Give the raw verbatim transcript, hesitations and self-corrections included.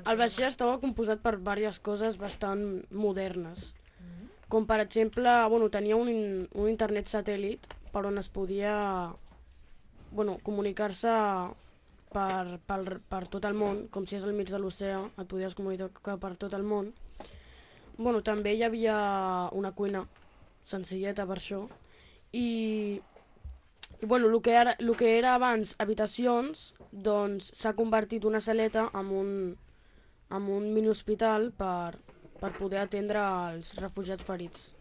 El vaixell estava composat per diverses coses bastant modernes, com per exemple, bueno, tenia un, un internet satèl·lit per on es podia bueno, comunicar-se per, per, per tot el món, com si és al mig de l'oceà, et podies comunicar per tot el món. Bueno, també hi havia una cuina senzilleta per això, i, i bueno, el que era, el que era abans habitacions, doncs s'ha convertit una saleta en un, en un mini hospital per, per poder atendre els refugiats ferits.